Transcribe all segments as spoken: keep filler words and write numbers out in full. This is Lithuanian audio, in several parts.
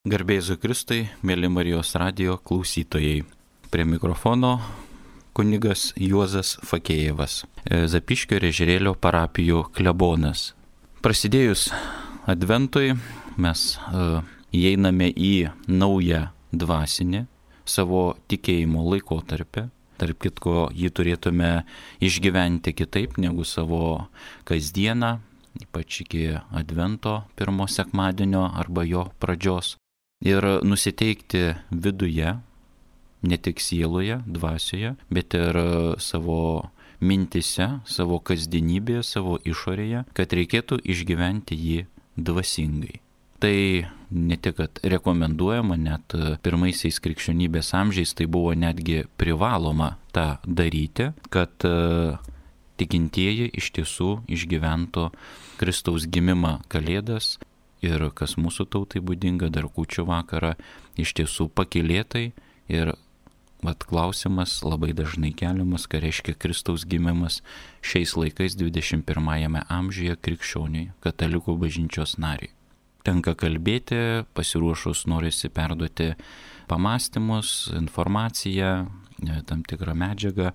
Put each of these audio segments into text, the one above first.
Garbė Jėzui Kristui, mėly Marijos radijo klausytojai. Prie mikrofono kunigas Juozas Fakėjevas, Zapyškio ir Ežerėlio parapijų klebonas. Prasidėjus adventui mes uh, įeiname į naują dvasinį savo tikėjimo laikotarpį. Tarp kitko, jį turėtume išgyventi kitaip negu savo kasdieną, ypač iki advento pirmo sekmadienio arba jo pradžios. Ir nusiteikti viduje, ne tik sieloje, dvasioje, bet ir savo mintise, savo kasdienybėje, savo išorėje, kad reikėtų išgyventi jį dvasingai. Tai ne tik, kad rekomenduojama, net pirmaisiais krikščionybės amžiais tai buvo netgi privaloma tą daryti, kad tikintieji iš tiesų išgyventų Kristaus gimimą Kalėdas. Ir kas mūsų tautai būdinga, dar kūčių vakarą, iš tiesų pakylėtai. Ir vat klausimas labai dažnai keliamas, ką reiškia Kristaus gimimas šiais laikais dvidešimt pirmajame amžiuje krikščioniui, katalikų bažnyčios nariui. Tenka kalbėti, pasiruošus norisi perduoti pamąstymus, informaciją, tam tikrą medžiagą,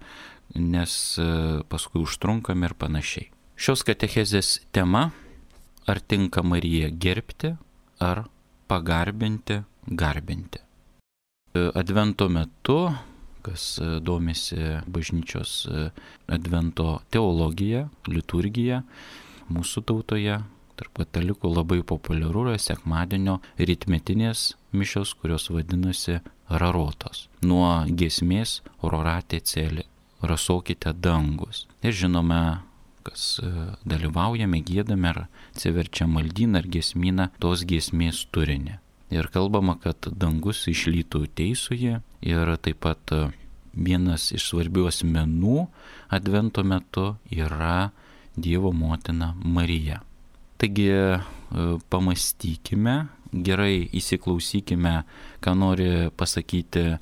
nes paskui užtrunkam ir panašiai. Šios katechezės tema: ar tinka Mariją gerbti, ar pagarbinti, garbinti. Advento metu, kas domisi bažnyčios advento teologija, liturgija, mūsų tautoje, tarp katalikų labai populiaru yra sekmadienio rytmetinės mišios, kurios vadinasi rarotos. Nuo giesmės Rorate Celi, rasokite dangus. Ir žinome, kas dalyvaujame, giedame ar atsiverčiam maldyną ar giesmyną, tos giesmės turinį. Ir kalbama, kad dangus išlytų teisųjį, ir taip pat vienas iš svarbių asmenų advento metu yra Dievo motina Marija. Taigi pamastykime, gerai įsiklausykime, ką nori pasakyti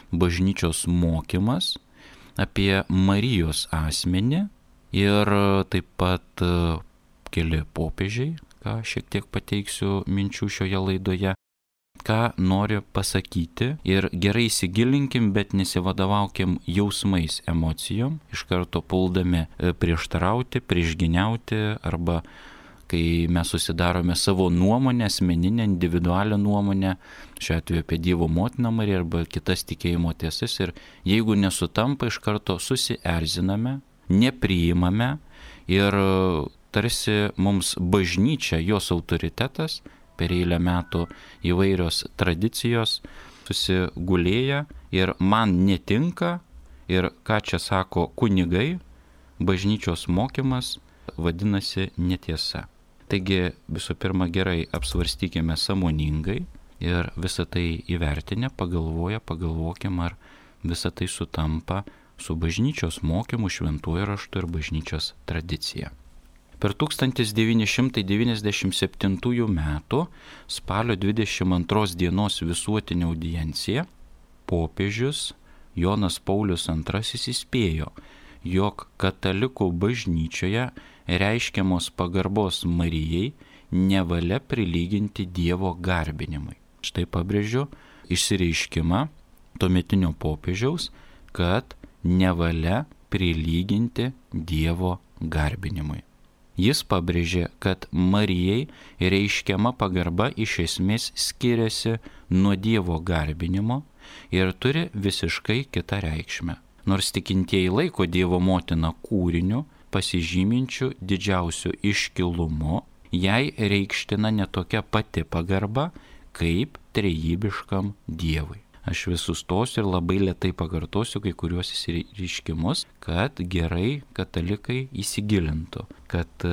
bažnyčios mokymas apie Marijos asmenį. Ir taip pat keli popiežiai, ką šiek tiek pateiksiu minčių šioje laidoje, ką nori pasakyti. Ir gerai įsigilinkim, bet nesivadovaukim jausmais, emocijom, iš karto puldami prieštarauti, priešginiauti, arba kai mes susidarome savo nuomonę, asmeninę, individualią nuomonę, šiuo atveju apie Dievo motiną Mariją arba kitas tikėjimo tiesas, ir jeigu nesutampa, iš karto susierziname, nepriimame, ir tarsi mums bažnyčia, jos autoritetas, per eilę metų įvairios tradicijos susigulėja ir man netinka, ir ką čia sako kunigai, bažnyčios mokymas vadinasi netiesa. Taigi visų pirma gerai apsvarstykime sąmoningai ir visą tai įvertinę, pagalvoję, pagalvokim, ar visą tai sutampa su bažnyčios mokymu, šventuoju raštu ir bažnyčios tradicija. Per tūkstantis devyni šimtai devyniasdešimt septintųjų metų spalio dvidešimt antros dienos visuotinę audienciją popiežius Jonas Paulius antrasis įspėjo, jog katalikų bažnyčioje reiškiamos pagarbos Marijai nevalia prilyginti Dievo garbinimui. Štai pabrėžiu išsireiškimą tuometinio popiežiaus, kad nevalia prilyginti Dievo garbinimui. Jis pabrėžė, kad Marijai reiškiama pagarba iš esmės skiriasi nuo Dievo garbinimo ir turi visiškai kitą reikšmę. Nors tikintieji laiko Dievo motiną kūriniu, pasižyminčiu didžiausiu iškilumu, jai reikština netokia pati pagarba kaip trejybiškam Dievui. Aš vis sustosiu ir labai lėtai pakartosiu kai kuriuos išsireiškimus, kad gerai katalikai įsigilintų, kad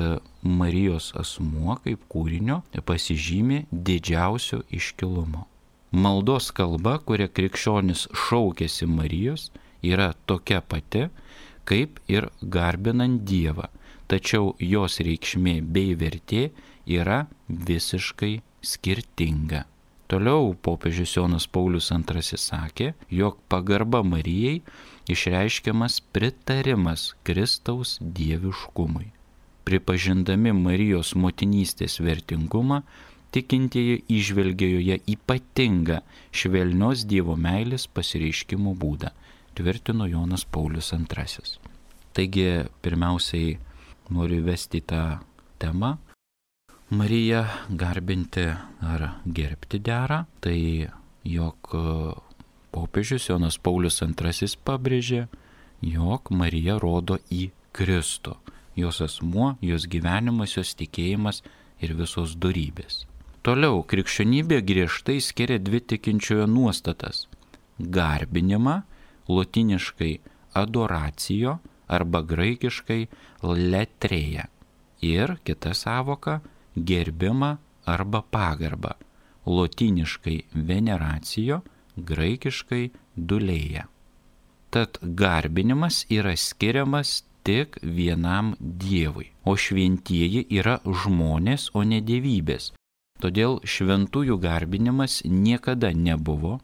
Marijos asmuo kaip kūrinio pasižymi didžiausiu iškilumu. Maldos kalba, kuria krikščionis šaukiasi Marijos, yra tokia pati, kaip ir garbinant Dievą, tačiau jos reikšmė bei vertė yra visiškai skirtinga. Toliau popiežius Jonas Paulius antrasis sakė, jog pagarba Marijai išreiškiamas pritarimas Kristaus dieviškumui. Pripažindami Marijos motinystės vertingumą, tikintieji įžvelgia joje ypatingą švelnios Dievo meilės pasireiškimo būdą, tvirtino Jonas Paulius antrasis. Taigi, pirmiausiai noriu vesti tą temą. Mariją garbinti ar gerbti dera, tai jog popiežius Jonas Paulius antrasis pabrėžė, jog Marija rodo į Kristų, jos asmuo, jos gyvenimas, jos tikėjimas ir visos dorybės. Toliau, krikščionybė griežtai skiria dvi tikinčiojo nuostatas – garbinimą, lotyniškai adoracijo arba graikiškai letrėja, ir kita sąvoka – gerbimą arba pagarbą, lotyniškai veneracijo, graikiškai dulėja. Tad garbinimas yra skiriamas tik vienam Dievui, o šventieji yra žmonės, o ne dievybės. Todėl šventųjų garbinimas niekada nebuvo,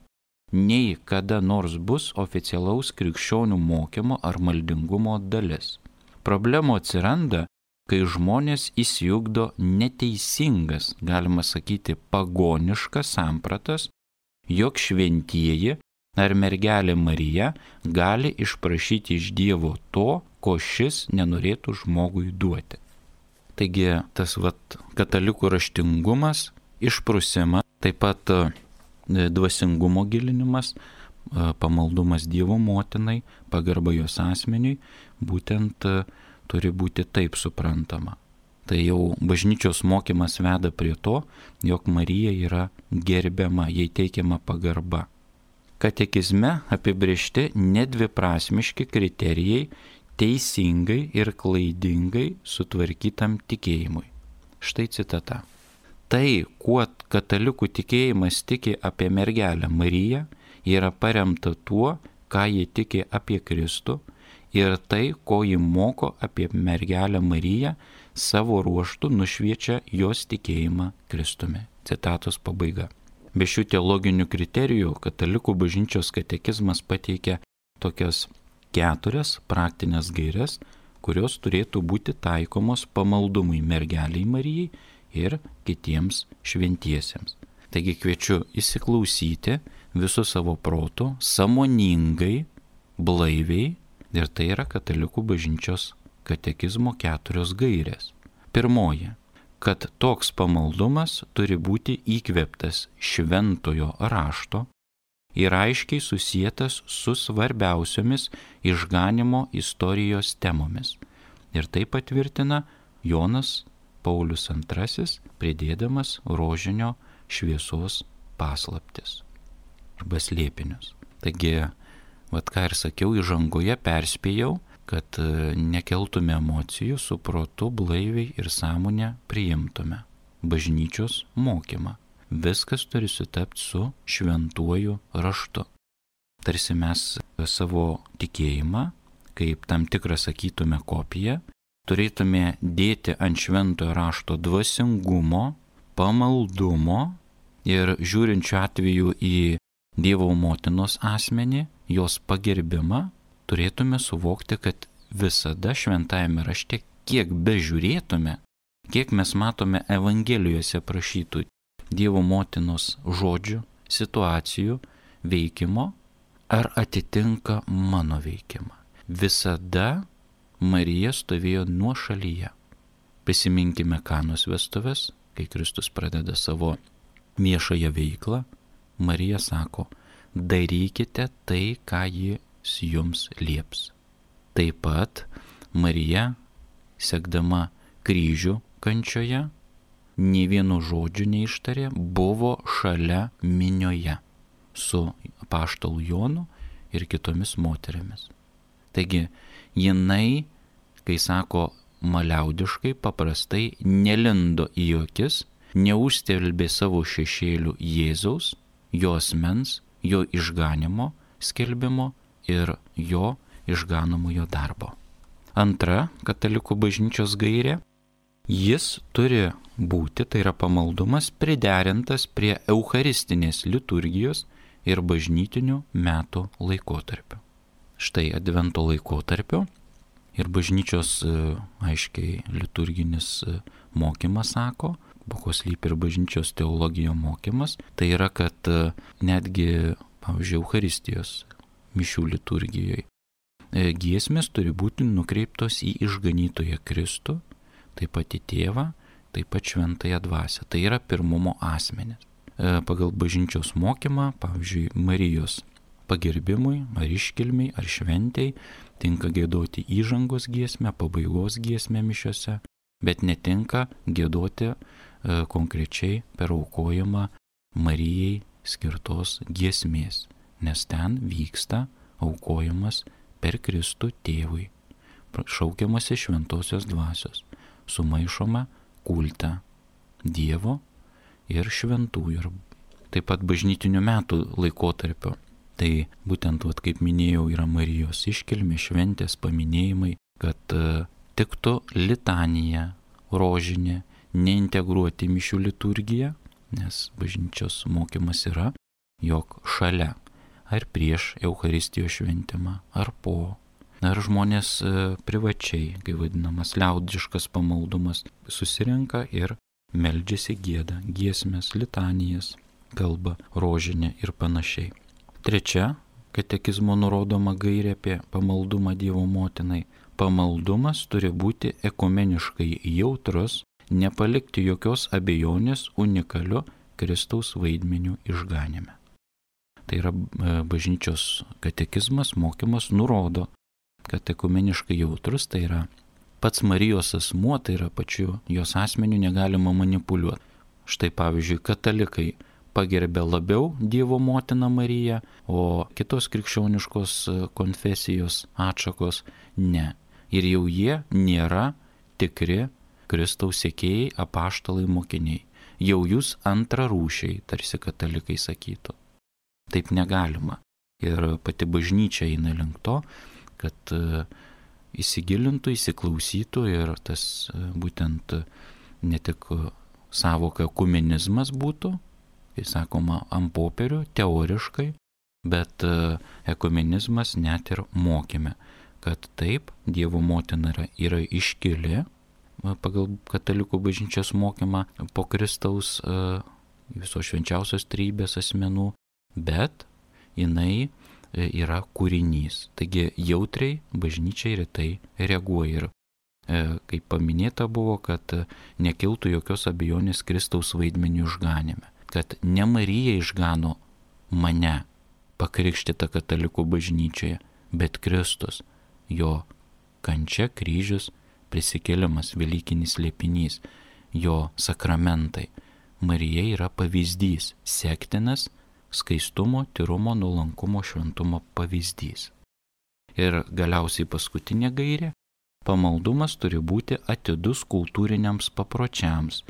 nei kada nors bus oficialaus krikščionių mokymo ar maldingumo dalis. Problemų atsiranda, kai žmonės įsijugdo neteisingas, galima sakyti, pagoniškas sampratas, jog šventieji ar mergelė Marija gali išprašyti iš Dievo to, ko šis nenorėtų žmogui duoti. Taigi tas vat, katalikų raštingumas, išprusimas, taip pat dvasingumo gilinimas, pamaldumas Dievo motinai, pagarba jos asmeniui, būtent turi būti taip suprantama. Tai jau bažnyčios mokymas veda prie to, jog Marija yra gerbiama, jai teikiama pagarba. Katekizme apibrėžti nedviprasmiški kriterijai teisingai ir klaidingai sutvarkytam tikėjimui. Štai citata. Tai, kuo katalikų tikėjimas tiki apie mergelę Mariją, yra paremta tuo, ką jie tiki apie Kristų, ir tai, ko ji moko apie mergelę Mariją, savo ruožtu nušviečia jos tikėjimą Kristumi. Citatos pabaiga. Be šių teologinių kriterijų katalikų bažnyčios katekizmas pateikia tokias keturias praktinės gaires, kurios turėtų būti taikomos pamaldumui mergeliai Marijai ir kitiems šventiesiems. Taigi kviečiu įsiklausyti visų savo protų, sąmoningai, blaiviai, ir tai yra katalikų bažnyčios katekizmo keturios gairės. Pirmoji, kad toks pamaldumas turi būti įkvėptas šventojo rašto ir aiškiai susietas su svarbiausiomis išganimo istorijos temomis. Ir tai patvirtina Jonas Paulius antrasis, pridėdamas rožinio šviesos paslaptis arba slėpinius. Taigi, vat ką ir sakiau, įžangoje perspėjau, kad nekeltume emocijų, su protu blaiviai ir sąmonę priimtume bažnyčios mokymą. Viskas turi sutapti su šventuoju raštu. Tarsi mes savo tikėjimą, kaip tam tikrą sakytume kopiją, turėtume dėti ant šventojo rašto dvasingumo, pamaldumo ir žiūrinčių atveju į Dievo motinos asmenį, jos pagerbimą, turėtume suvokti, kad visada šventajame rašte, kiek bežiūrėtume, kiek mes matome Evangelijose prašytų Dievo motinos žodžių, situacijų, veikimo, ar atitinka mano veikimą. Visada Marija stovėjo nuošalyje. Prisiminkime Kanos vestuves, kai Kristus pradeda savo viešąją veiklą, Marija sako, darykite tai, ką jis jums lieps. Taip pat Marija, sekdama kryžių kančioje, nė vieno žodžio neištarė, buvo šalia minioje su apaštalu Jonu ir kitomis moterimis. Taigi, jinai, kai sako maliaudiškai, paprastai nelindo į akis, neužstelbė savo šešėlių Jėzaus, jo asmens, jo išganimo skelbimo ir jo išganomojo darbo. Antra katalikų bažnyčios gairė. Jis turi būti, tai yra pamaldumas, priderintas prie eucharistinės liturgijos ir bažnytinių metų laikotarpio. Štai advento laikotarpio ir bažnyčios aiškiai liturginis mokymas sako, po ko slypi ir bažnyčios teologijos mokymas, tai yra, kad netgi, pavyzdžiui, Eucharistijos mišių liturgijoje giesmės turi būti nukreiptos į išganytoją Kristų, taip pat į tėvą, taip pat šventąją dvasią. Tai yra pirmumo asmenis. Pagal bažnyčios mokymą, pavyzdžiui, Marijos pagerbimui, ar iškilmiai, ar šventei, tinka giedoti įžangos giesmę, pabaigos giesmę mišiose, bet netinka giedoti e, konkrečiai per aukojimą Marijai skirtos giesmės, nes ten vyksta aukojimas per Kristų tėvui, šaukiamasi šventosios dvasios, sumaišoma kultą Dievo ir šventųjų, ir taip pat bažnytinių metų laikotarpio. Tai būtent, vat, kaip minėjau, yra Marijos iškilmė, šventės, paminėjimai, kad uh, tiktų litanija, rožinė, neintegruoti mišių liturgiją, nes bažnyčios mokymas yra, jog šalia ar prieš Eucharistijos šventimą, ar po, ar žmonės uh, privačiai, kai vadinamas liaudiškas pamaldumas, susirenka ir meldžiasi gieda, giesmės, litanijas, kalba, rožinė ir panašiai. Trečia, katekizmo nurodoma gairė apie pamaldumą Dievo motinai. Pamaldumas turi būti ekumeniškai jautrus, nepalikti jokios abejonės unikaliu Kristaus vaidmeniu išganime. Tai yra bažnyčios katekizmas, mokymas nurodo, kad ekumeniškai jautrus, tai yra pats Marijos asmuo, tai yra pačiu jos asmeniu negalima manipuliuoti. Štai pavyzdžiui, katalikai pagerbė labiau Dievo motiną Mariją, o kitos krikščioniškos konfesijos atšakos ne. Ir jau jie nėra tikri Kristaus sekėjai, apaštalai, mokiniai. Jau jūs antrarūšiai, tarsi katalikai sakytų. Taip negalima. Ir pati bažnyčia eina link to, kad įsigilintų, įsiklausytų ir tas būtent ne tik savoka ekumenizmas būtų, kai sakoma, ant popierių, teoriškai, bet ekumenizmas net ir mokyme, kad taip, Dievo motina yra, yra iškili pagal katalikų bažnyčios mokymą po Kristaus visos švenčiausios trejybės asmenų, bet jinai yra kūrinys. Taigi jautriai bažnyčia ir tai reaguoja. Ir kaip paminėta buvo, kad nekiltų jokios abejonės Kristaus vaidmeniu išganime. Kad ne Marija išgano mane pakrikštytą katalikų bažnyčioje, bet Kristus, jo kančia, kryžius, prisikėlimas, velykinis slėpinys, jo sakramentai. Marija yra pavyzdys, sektinas, skaistumo, tyrumo, nuolankumo, šventumo pavyzdys. Ir galiausiai paskutinė gairė, pamaldumas turi būti atidus kultūriniams papročiams.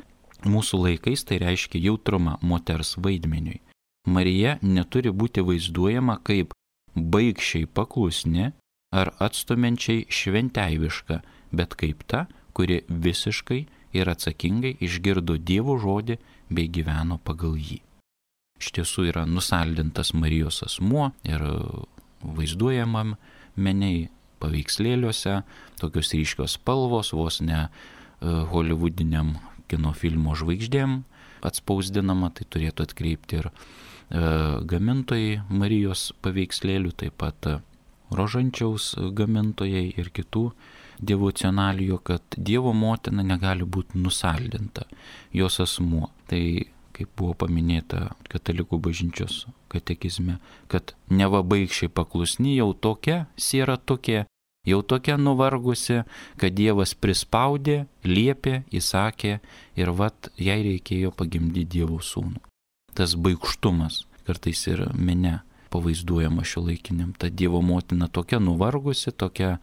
Mūsų laikais tai reiškia jautrumą moters vaidmeniui. Marija neturi būti vaizduojama kaip baigščiai paklusni ar atstumiančiai šventeiviška, bet kaip ta, kuri visiškai ir atsakingai išgirdo Dievo žodį bei gyveno pagal jį. Iš tiesų yra nusaldintas Marijos asmuo ir vaizduojamam meniai paveikslėliuose, tokios ryškios spalvos, vos ne uh, holivudiniam kino filmo žvaigždėm atspausdinama, tai turėtų atkreipti ir e, gamintojai Marijos paveikslėlių, taip pat rožančiaus gamintojai ir kitų devocionalijų, kad Dievo motina negali būti nusaldinta, jos asmuo. Tai, kaip buvo paminėta katalikų bažnyčios katekizme, kad neva baigščiai paklusni jau tokia, siera tokia, jau tokia nuvargusi, kad Dievas prispaudė, liepė, įsakė ir vat jai reikėjo pagimdyti Dievo sūnų. Tas baigštumas kartais ir mene pavaizduojama šiuolaikiniam. Ta Dievo motina tokia nuvargusi, tokia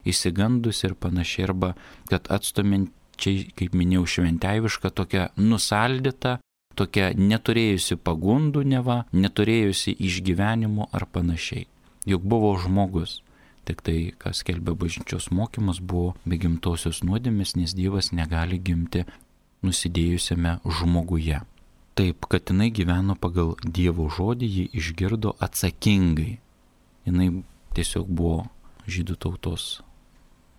įsigandusi ir panašiai, arba kad atstumiančiai, kaip minėjau, šventeiviška, tokia nusaldyta, tokia neturėjusi pagundų neva, neturėjusi išgyvenimų ar panašiai. Juk buvo žmogus. Tik tai, kas skelbia bažnyčios mokymas, buvo be gimtosios nuodėmės, nes Dievas negali gimti nusidėjusiame žmoguje. Taip, kad jinai gyveno pagal Dievo žodį, ji išgirdo atsakingai. Jinai tiesiog buvo žydų tautos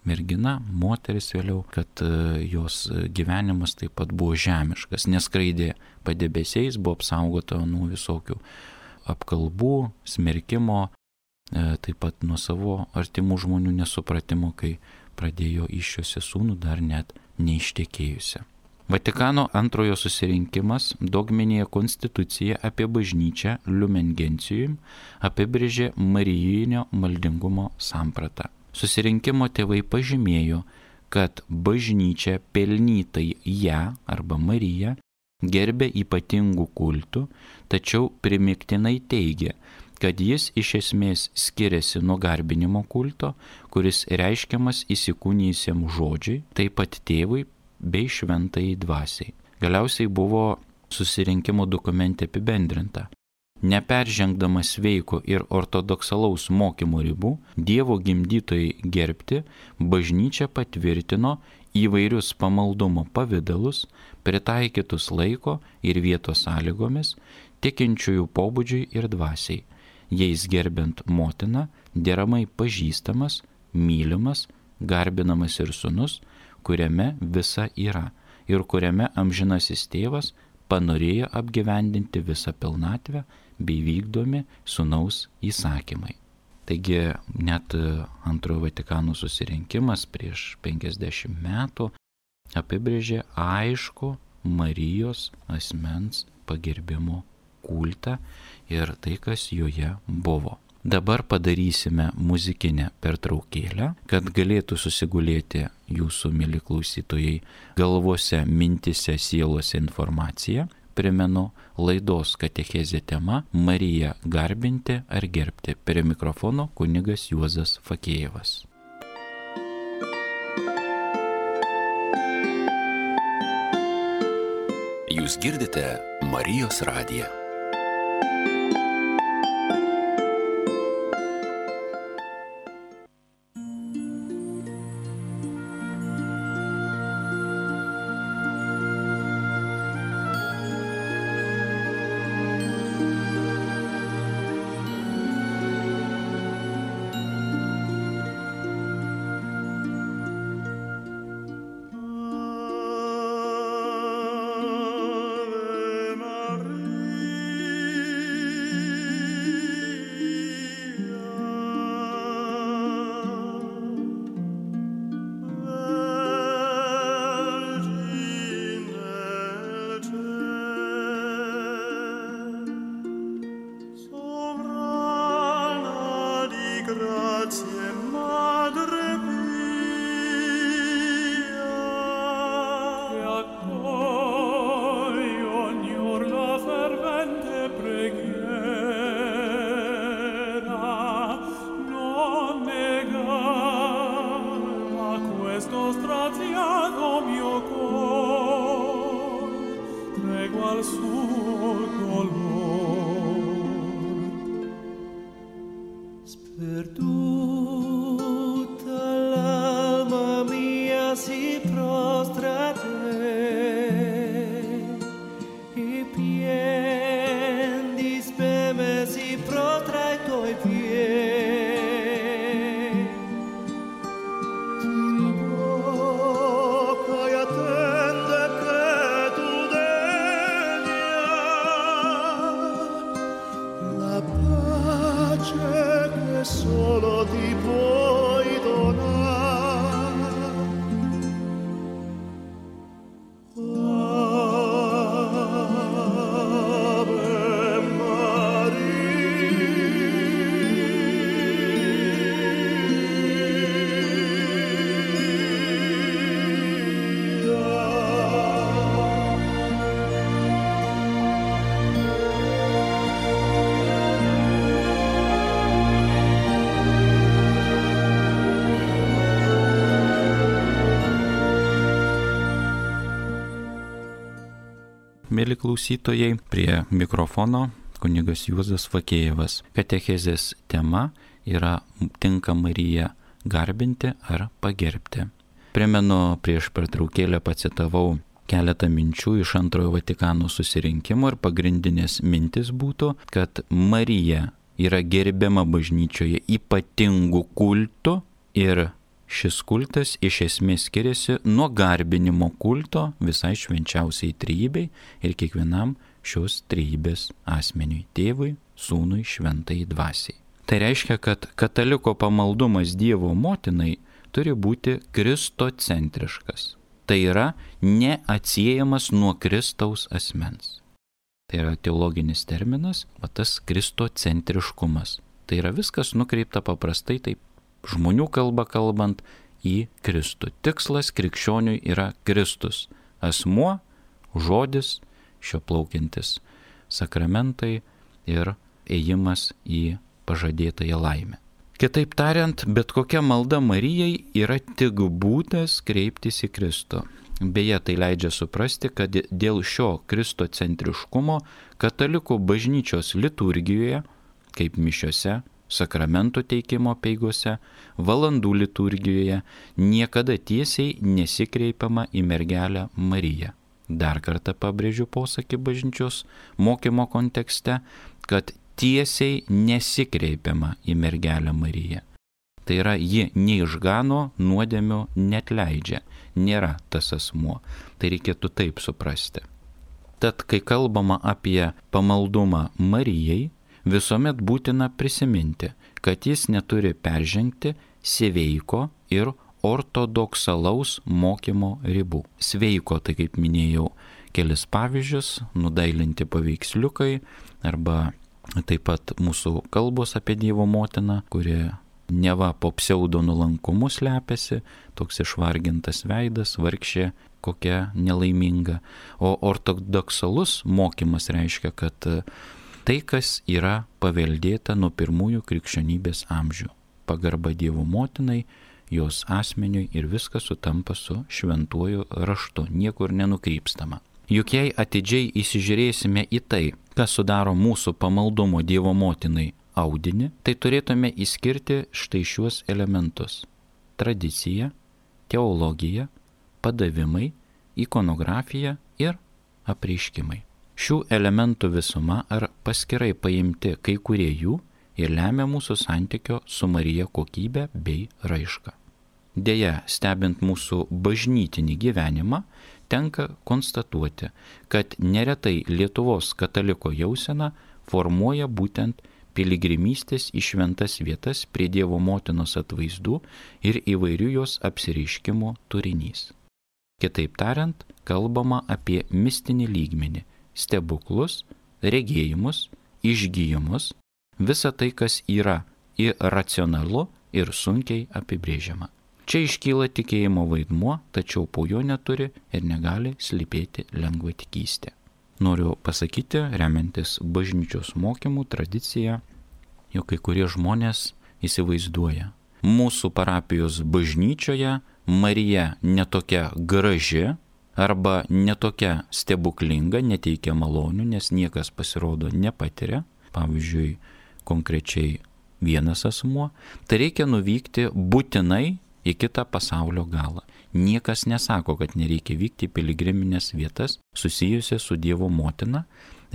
mergina, moteris vėliau, kad jos gyvenimas taip pat buvo žemiškas, neskraidė padebesiais, buvo apsaugota nuo visokių apkalbų, smerkimo, taip pat nuo savo artimų žmonių nesupratimo, kai pradėjo iščiuosti sūnų dar net neištekėjusią. Vatikano antrojo susirinkimas dogminėje konstitucija apie bažnyčią Lumen Gentium apibrėžė marijinio maldingumo sampratą. Susirinkimo tėvai pažymėjo, kad bažnyčia pelnytai ją arba Mariją gerbė ypatingų kultų, tačiau primiktinai teigia, kad jis iš esmės skiriasi nuo garbinimo kulto, kuris reiškiamas įsikūnijusiems žodžiai, taip pat tėvui bei šventajai dvasiai. Galiausiai buvo susirinkimo dokumente apibendrinta. Neperžengdamas sveiko ir ortodoksalaus mokymo ribų, Dievo gimdytojai gerbti, bažnyčia patvirtino įvairius pamaldumo pavidalus, pritaikytus laiko ir vietos sąlygomis, tikinčiųjų pobūdžiui ir dvasiai, jais gerbent motiną, deramai pažįstamas, mylimas, garbinamas ir sūnus, kuriame visa yra ir kuriame amžinasis tėvas panorėjo apgyvendinti visą pilnatvę bei vykdomi sūnaus įsakymai. Taigi net antrojo Vatikano susirinkimas prieš penkiasdešimt metų apibrėžė aišku Marijos asmens pagerbimo kultą ir tai, kas joje buvo. Dabar padarysime muzikinę pertraukėlę, kad galėtų susigulėti jūsų, mieli klausytojai, galvose, mintise, sielose informacija. Primenu, laidos katechezė tema Mariją garbinti ar gerbti. Prie mikrofono kunigas Juozas Fakėjevas. Jūs girdite Marijos radiją. Mėly klausytojai, prie mikrofono kunigas Juozas Fakėjevas. Katechezės tema yra tinka Mariją garbinti ar pagerbti. Primenu, prieš pertraukėlę pacitavau keletą minčių iš antrojo Vatikano susirinkimo ir pagrindinės mintis būtų, kad Marija yra gerbiama bažnyčioje ypatingų kultų ir šis kultas iš esmės skiriasi nuo garbinimo kulto visai švenčiausiai trejybei ir kiekvienam šios trejybės asmeniui – tėvui, sūnui, šventai dvasiai. Tai reiškia, kad kataliko pamaldumas Dievo motinai turi būti kristocentriškas. Tai yra neatsiejamas nuo Kristaus asmens. Tai yra teologinis terminas, va tas kristocentriškumas. Tai yra viskas nukreipta paprastai, taip žmonių kalba kalbant, į Kristų. Tikslas krikščioniui yra Kristus. Asmuo, žodis, šio plaukiantis sakramentai ir ėjimas į pažadėtąją laimę. Kitaip tariant, bet kokia malda Marijai yra tik būdas kreiptis į Kristų. Beje, tai leidžia suprasti, kad dėl šio kristocentriškumo katalikų bažnyčios liturgijoje, kaip mišiose, sakramentų teikimo peigose, valandų liturgijoje, niekada tiesiai nesikreipiama į mergelę Mariją. Dar kartą pabrėžiu posakį bažnyčios mokymo kontekste, kad tiesiai nesikreipiama į mergelę Mariją. Tai yra, ji neišgano, nuodėmių netleidžia, nėra tas asmuo. Tai reikėtų taip suprasti. Tad, kai kalbama apie pamaldumą Marijai, visuomet būtina prisiminti, kad jis neturi peržengti sveiko ir ortodoksalaus mokymo ribų. Sveiko, tai kaip minėjau, kelis pavyzdžius, nudailinti paveiksliukai arba taip pat mūsų kalbos apie Dievo motiną, kuri neva po pseudo nulankumu slepiasi, toks išvargintas veidas, vargšė, kokia nelaiminga. O ortodoksalus mokymas reiškia, kad tai, kas yra paveldėta nuo pirmųjų krikščionybės amžių. Pagarba Dievo motinai, jos asmeniui ir viskas sutampa su šventuoju raštu, niekur nenukrypstama. Juk jei atidžiai įsižiūrėsime į tai, kas sudaro mūsų pamaldumo Dievo motinai audinį, tai turėtume išskirti štai šiuos elementus – tradicija, teologija, padavimai, ikonografija ir apreiškimai. Šių elementų visuma ar paskirai paimti kai kurie jų ir lemia mūsų santykio su Marija kokybę bei raišką. Deja, stebint mūsų bažnytinį gyvenimą, tenka konstatuoti, kad neretai Lietuvos kataliko jausena formuoja būtent piligrimystės į šventas vietas prie Dievo motinos atvaizdų ir įvairių jos apsireiškimo turinys. Kitaip tariant, kalbama apie mistinį lygmenį, stebuklus, regėjimus, išgyjimus, visa tai, kas yra iracionalu ir sunkiai apibrėžiama. Čia iškyla tikėjimo vaidmuo, tačiau po jo neturi ir negali slypėti lengvatikystė. Noriu pasakyti, remiantis bažnyčios mokymų tradicija, jog kai kurie žmonės įsivaizduoja. Mūsų parapijos bažnyčioje Marija netokia graži arba netokia stebuklinga, neteikia malonių, nes niekas pasirodo nepatiria. Pavyzdžiui, konkrečiai vienas asmuo, tai reikia nuvykti būtinai į kitą pasaulio galą. Niekas nesako, kad nereikia vykti į piligriminės vietas susijusias su Dievo motina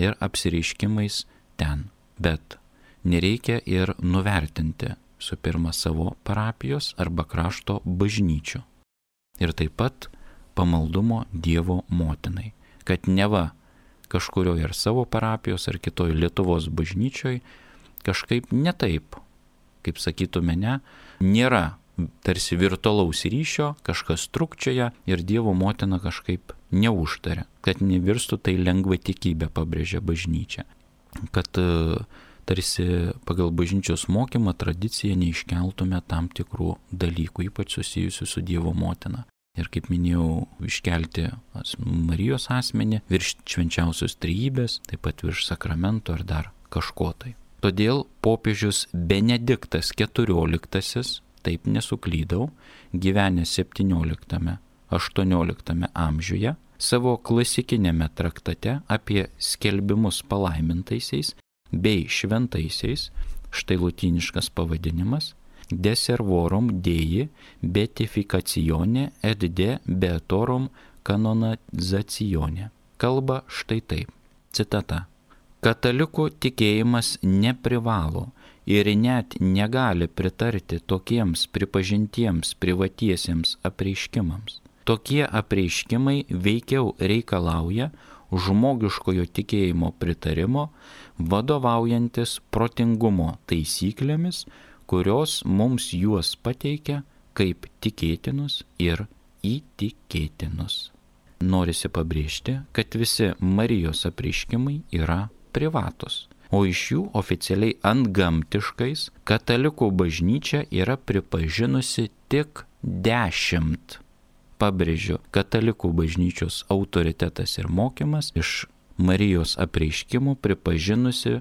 ir apsireiškimais ten. Bet nereikia ir nuvertinti su pirma savo parapijos arba krašto bažnyčių. Ir taip pat pamaldumo Dievo motinai, kad neva kažkurioje ar savo parapijos ar kitoje Lietuvos bažnyčioje kažkaip netaip, kaip sakytume ne, nėra tarsi virtualaus ryšio, kažkas trukčioja ir Dievo motina kažkaip neužtaria, kad nevirstų tai lengva tikybė, pabrėžia bažnyčia. Kad tarsi pagal bažnyčios mokymą tradiciją neiškeltume tam tikrų dalykų, ypač susijusių su Dievo motina. Ir kaip minėjau, iškelti Marijos asmenį virš švenčiausios trejybės, taip pat virš sakramento ar dar kažko tai. Todėl popiežius Benediktas keturioliktasis, taip nesuklydau, gyvenęs septynioliktame aštuonioliktame amžiuje, savo klasikinėme traktate apie skelbimus palaimintaisiais bei šventaisiais, štai lotyniškas pavadinimas, De servorum Dei beatificatione et de beatorum canonizacione. Kalba štai taip. Citata. Katalikų tikėjimas neprivalo ir net negali pritarti tokiems pripažintiems privatiesiems apreiškimams. Tokie apreiškimai veikiau reikalauja žmogiškojo tikėjimo pritarimo, vadovaujantis protingumo taisyklėmis, kurios mums juos pateikia kaip tikėtinus ir įtikėtinus. Norisi pabrėžti, kad visi Marijos apreiškimai yra privatus, o iš jų oficialiai antgamtiškais katalikų bažnyčia yra pripažinusi tik dešimt. Pabrėžiu, katalikų bažnyčios autoritetas ir mokymas iš Marijos apreiškimų pripažinusi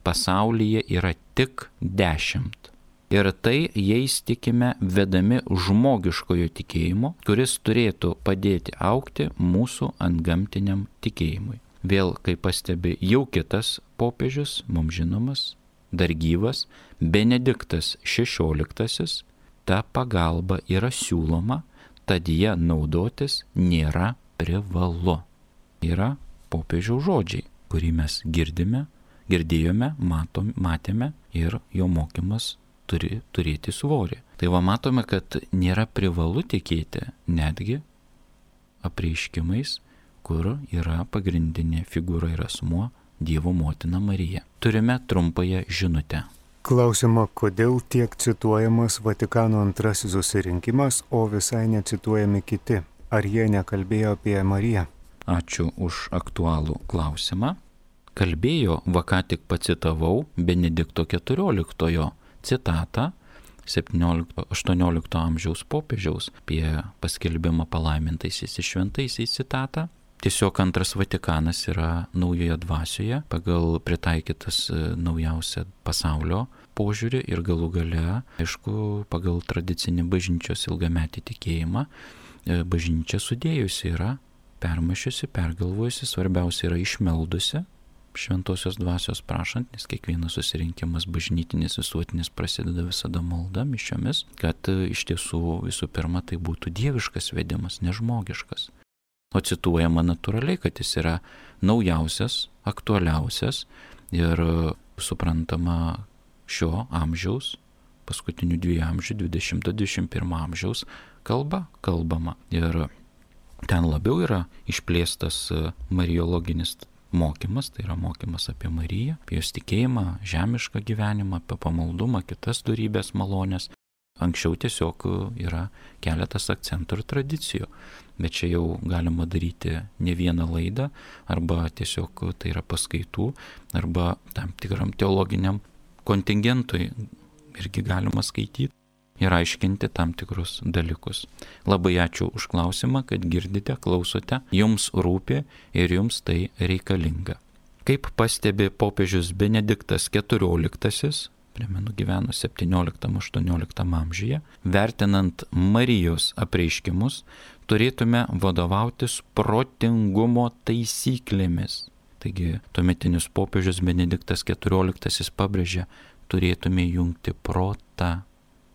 pasaulyje yra tik dešimt. Ir tai jais tikime vedami žmogiškojo tikėjimo, kuris turėtų padėti augti mūsų antgamtiniam tikėjimui. Vėl, kaip pastebi jau kitas popiežius, mums žinomas, dar gyvas, Benediktas šešioliktasis, ta pagalba yra siūloma, tad ją naudotis nėra privalu. Yra popiežiaus žodžiai, kurį mes girdime, girdėjome, matom, matėme ir jo mokymas turi turėti svorį. Tai va matome, kad nėra privalu tikėti netgi apreiškimais, kur yra pagrindinė figūra ir asmuo Dievo motina Marija. Turime trumpąją žinutę. Klausima, kodėl tiek cituojamas Vatikano antrasis susirinkimas, o visai necituojami kiti? Ar jie nekalbėjo apie Mariją? Ačiū už aktualų klausimą. Kalbėjo, va ką tik pacitavau, Benedikto keturioliktojo citatą, septyniolikto-aštuoniolikto amžiaus popiežiaus apie paskelbimą palaimintaisiais ir šventaisiais citatą. Tiesiog antras Vatikanas yra naujoje dvasioje, pagal pritaikytas naujausią pasaulio požiūrį ir galų gale, aišku, pagal tradicinį bažnyčios ilgametį tikėjimą, bažnyčia sudėjusi yra, permašiusi, pergalvojusi, svarbiausia yra išmeldusi, šventosios dvasios prašant, nes kiekvienas susirinkimas bažnytinis visuotinis prasideda visada malda, mišiomis, kad iš tiesų visų pirma tai būtų dieviškas vedimas, nežmogiškas. O cituojama natūraliai, kad jis yra naujausias, aktualiausias ir suprantama šio amžiaus, paskutinių dviejų amžių, dvidešimto dvidešimt pirmo amžiaus kalba kalbama. Ir ten labiau yra išplėstas mariologinis mokymas, tai yra mokymas apie Mariją, apie jos tikėjimą, žemišką gyvenimą, apie pamaldumą, kitas dorybės malonės. Anksčiau tiesiog yra keletas akcentų ir tradicijų, bet čia jau galima daryti ne vieną laidą, arba tiesiog tai yra paskaitų, arba tam tikram teologiniam kontingentui irgi galima skaityti ir aiškinti tam tikrus dalykus. Labai ačiū už klausimą, kad girdite, klausote, jums rūpi ir jums tai reikalinga. Kaip pastebi popiežius Benediktas keturioliktasis, primenu, gyveno septynioliktam-aštuonioliktam amžiuje, vertinant Marijos apreiškimus, turėtume vadovautis protingumo taisyklėmis. Taigi, tuometinis popiežius Benediktas keturioliktasis pabrėžia, turėtume jungti protą.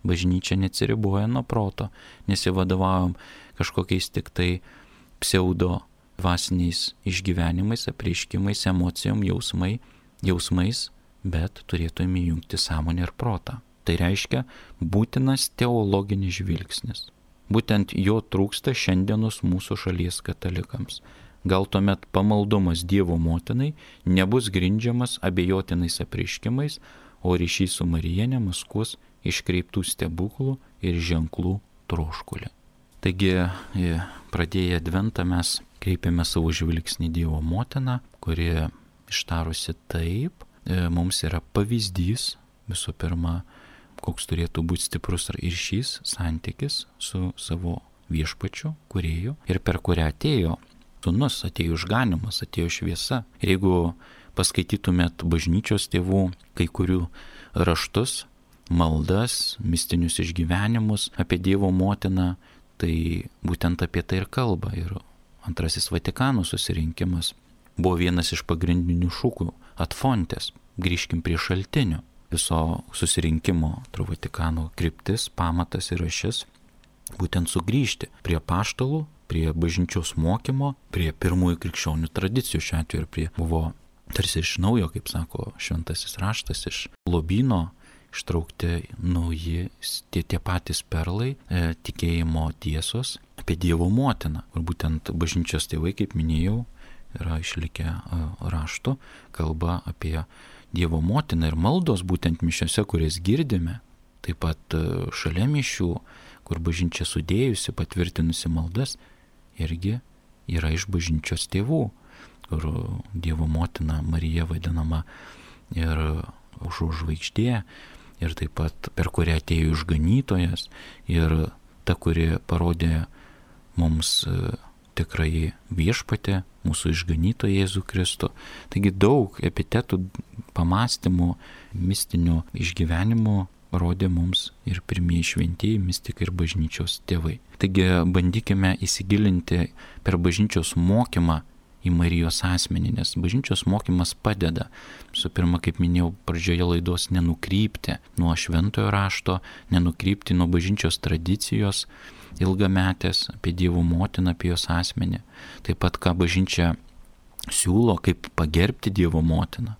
Bažnyčia neatsiriboja nuo proto, nesivadovaujam kažkokiais tik tai pseudo dvasiniais išgyvenimais, apreiškimais, emocijom, jausmai, jausmais, bet turėtume jungti sąmonę ir protą. Tai reiškia būtinas teologinis žvilgsnis. Būtent jo trūksta šiandienos mūsų šalies katalikams. Gal tuomet pamaldumas Dievo motinai nebus grindžiamas abejotinais apreiškimais, o ryšys su Marija nemaskuos iškreiptų stebuklų ir ženklų troškulį. Taigi, pradėję adventą mes kreipiame savo žvilgsnį Dievo motiną, kuri ištarusi taip, mums yra pavyzdys, visų pirma, koks turėtų būti stiprus ryšys, santykis su savo viešpačiu, kūrėju, ir per kurią atėjo sūnus, atėjo išganimas, atėjo šviesa. Ir jeigu paskaitytumėt bažnyčios tėvų kai kurių raštus, maldas, mistinius išgyvenimus apie Dievo motiną, tai būtent apie tai ir kalba. Ir antrasis Vatikano susirinkimas buvo vienas iš pagrindinių šūkių – ad fontes, grįžkim prie šaltinių. Viso susirinkimo Vatikano kryptis, pamatas ir ašis būtent sugrįžti prie apaštalų, prie bažnyčios mokymo, prie pirmųjų krikščionių tradicijų, šiuo atveju ir prie buvo tarsi iš naujo, kaip sako šventasis raštas, iš lobyno ištraukti nauji, tie, tie patys perlai, e, tikėjimo tiesos apie Dievo motiną. Ir būtent bažnyčios tėvai, kaip minėjau, yra išlikę e, rašto, kalba apie Dievo motiną ir maldos būtent mišiose, kurias girdime. Taip pat e, šalia mišių, kur bažnyčia sudėjusi, patvirtinusi maldas, irgi yra iš bažnyčios tėvų, kur Dievo motina Marija vadinama ir aušros žvaigždė, ir taip pat per kurią atėjo išganytojas, ir ta, kuri parodė mums tikrai viešpatį, mūsų išganytoją Jėzų Kristų. Taigi daug epitetų, pamastymų, mistinių išgyvenimų parodė mums ir pirmieji šventieji mistikai ir bažnyčios tėvai. Taigi bandykime įsigilinti per bažnyčios mokymą į Marijos asmenį, nes bažnyčios mokymas padeda, su pirma, kaip minėjau pradžioje laidos, nenukrypti nuo šventojo rašto, nenukrypti nuo bažnyčios tradicijos ilgametės apie Dievo motiną, apie jos asmenį. Taip pat, ką bažnyčia siūlo, kaip pagerbti Dievo motiną.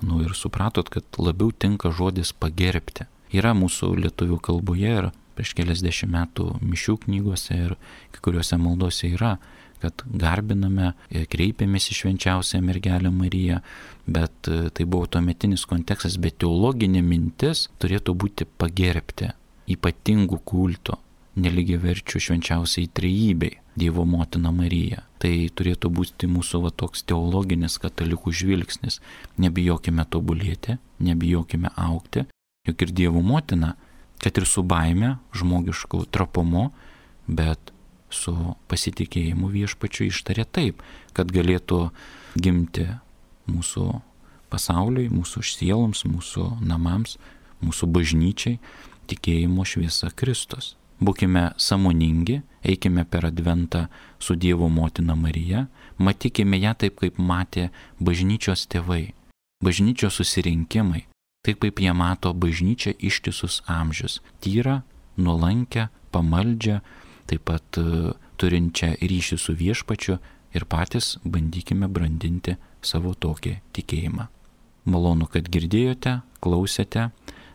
Manau, ir supratot, kad labiau tinka žodis pagerbti. Yra mūsų lietuvių kalboje ir prieš keliasdešimt metų mišių knygose ir kai kuriuose maldose yra, kad garbiname, kreipiamės į švenčiausią mergelę Mariją, bet tai buvo tuometinis kontekstas, bet teologinė mintis turėtų būti pagerbti ypatingų kulto, nelygiaverčių švenčiausiai trejybei, Dievo motina Marija. Tai turėtų būti mūsų va toks teologinis katalikų žvilgsnis. Nebijokime tobulėti, nebijokime augti, juk ir Dievo motina, kad ir su baime, žmogišku trapumu, bet su pasitikėjimu viešpačiu ištarė taip, kad galėtų gimti mūsų pasauliui, mūsų sieloms, mūsų namams, mūsų bažnyčiai tikėjimo šviesa Kristus. Būkime sąmoningi, eikime per adventą su Dievo motina Marija, matykime ją taip, kaip matė bažnyčios tėvai, bažnyčios susirinkimai, taip kaip jie mato bažnyčią ištisus amžius, tyrą, nuolankę, pamaldžią, taip pat uh, turinčią ryšį su viešpačiu ir patys bandykime brandinti savo tokį tikėjimą. Malonu, kad girdėjote, klausėte,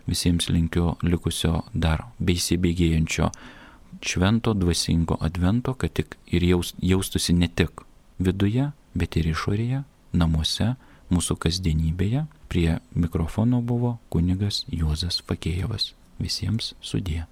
visiems linkiu likusio dar beįsibėgėjančio švento dvasingo advento, kad tik ir jaus, jaustųsi ne tik viduje, bet ir išorėje, namuose, mūsų kasdienybėje. Prie mikrofono buvo kunigas Juozas Fakėjevas. Visiems sudie.